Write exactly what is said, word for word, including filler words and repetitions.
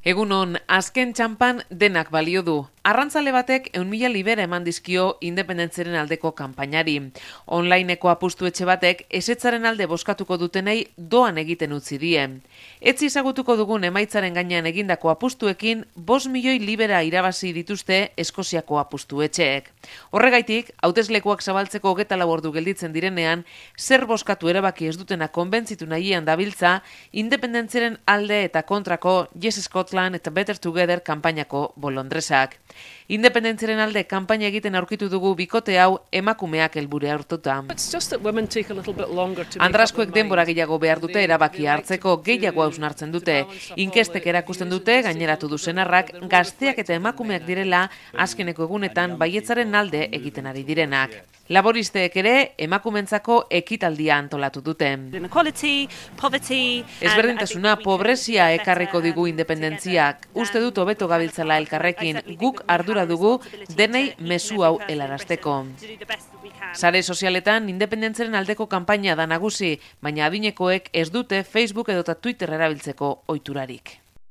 Egunon, azken txanpan denak balio du. Arrantzale batek ehun mila libera eman dizkio independentzaren aldeko kanpainari. Onlineko apustu etxe batek esetzaren alde bozkatuko dutenei doan egiten utzi die. Etzi ezagutuko dugun emaitzaren gainean egindako apustuekin bost milioi libera irabazi dituzte Eskoziako apustu etxeek. Horregaitik, hauteslekuak zabaltzeko hogeita lau ordu gelditzen direnean, zer bozkatu erabaki ez dutena konbentzitu nahian dabiltza, independentziaren alde eta kontrako Yes Scotland eta Better Together kanpainako bolondresak. Independentziaren alde kanpaina egiten aurkitu dugu bikote hau emakumeak helbure hartuta. Andraskoek denbora gehiago behar dute erabaki hartzeko, gehiago hausnartzen dute. Inkestek erakusten dute, gaineratu du senarrak, gazteak eta emakumeak direla azkeneko egunetan baietzaren alde egiten ari direnak. Laboristeek ere emakumentzako ekitaldia antolatu dute. Ezberdintasuna pobrezia ekarriko digu independentziak. Uste dut hobeto gabiltzala elkarrekin, guk ardura dugu denei mezu hau helarazteko. Sare sozialetan independentzaren aldeko kanpaina da nagusi, baina adinekoek ez dute Facebook edota Twitter erabiltzeko ohiturarik.